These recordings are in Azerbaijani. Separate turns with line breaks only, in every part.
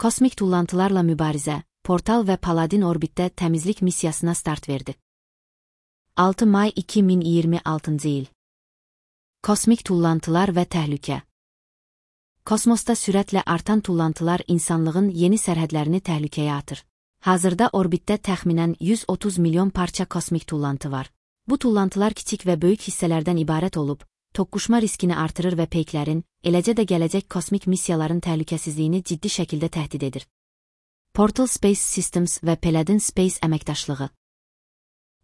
Kosmik tullantılarla mübarizə, Portal və Paladin orbitdə təmizlik missiyasına start verdi. 6 may 2026 il. Kosmik tullantılar və təhlükə. Kosmosda sürətlə artan tullantılar insanlığın yeni sərhədlərini təhlükəyə atır. Hazırda orbitdə təxminən 130 milyon parça kosmik tullantı var. Bu tullantılar kiçik və böyük hissələrdən ibarət olub, toqquşma riskini artırır və peyklərin, eləcə də gələcək kosmik missiyaların təhlükəsizliyini ciddi şəkildə təhdid edir. Portal Space Systems və Paladin Space əməkdaşlığı.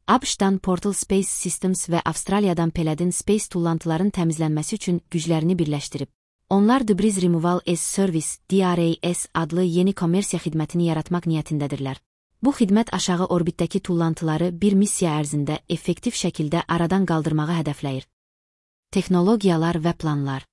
ABŞ-dan Portal Space Systems və Avstraliyadan Paladin Space tullantıların təmizlənməsi üçün güclərini birləşdirib. Onlar Debris Removal as Service (DRAS) adlı yeni kommersiya xidmətini yaratmaq niyyətindədirlər. Bu xidmət aşağı orbitdəki tullantıları bir missiya ərzində effektiv şəkildə aradan qaldırmağı hədəfləyir. Texnologiyalar və planlar.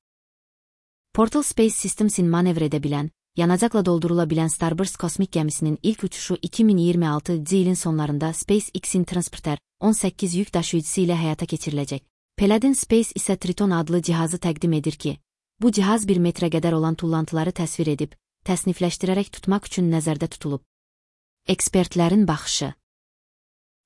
Portal Space Systems'in manevr edə bilən, yanacaqla doldurula bilən Starburst kosmik gəmisinin ilk uçuşu 2026 ilin sonlarında SpaceX-in Transporter 18 yük daşıyıcısı ilə həyata keçiriləcək. Paladin Space isə Triton adlı cihazı təqdim edir ki, bu cihaz 1 metrə qədər olan tullantıları təsvir edib, təsnifləşdirərək tutmaq üçün nəzərdə tutulub. Ekspertlərin baxışı.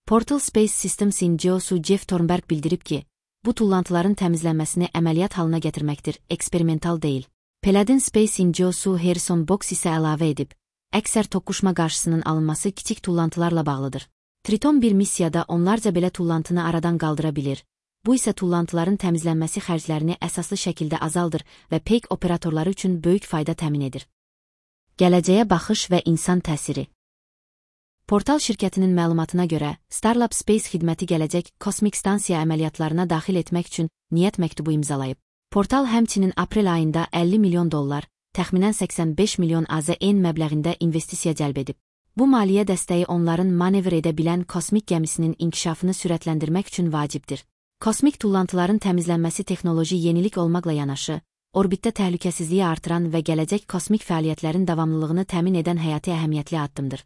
Portal Space Systems'in CEO-su Jeff Thornberg bildirib ki, bu tullantıların təmizlənməsini əməliyyat halına gətirməkdir, eksperimental deyil. Paladin Space'in CEO-su Harrison Box isə əlavə edib, əksər toqquşma qarşısının alınması kiçik tullantılarla bağlıdır. Triton bir missiyada onlarca belə tullantını aradan qaldıra bilir. Bu isə tullantıların təmizlənməsi xərclərini əsaslı şəkildə azaldır və peyk operatorları üçün böyük fayda təmin edir. Gələcəyə baxış və insan təsiri. Portal şirkətinin məlumatına görə, Starlab Space xidməti gələcək kosmik stansiya əməliyyatlarına daxil etmək üçün niyyət məktubu imzalayıb. Portal həmçinin aprel ayında $50 milyon, təxminən 85 milyon AZN məbləğində investisiya cəlb edib. Bu maliyyə dəstəyi onların manevr edə bilən kosmik gəmisinin inkişafını sürətləndirmək üçün vacibdir. Kosmik tullantıların təmizlənməsi texnoloji yenilik olmaqla yanaşı, orbitdə təhlükəsizliyi artıran və gələcək kosmik fəaliyyətlərin davamlılığını təmin edən həyati əhəmiyyətli addımdır.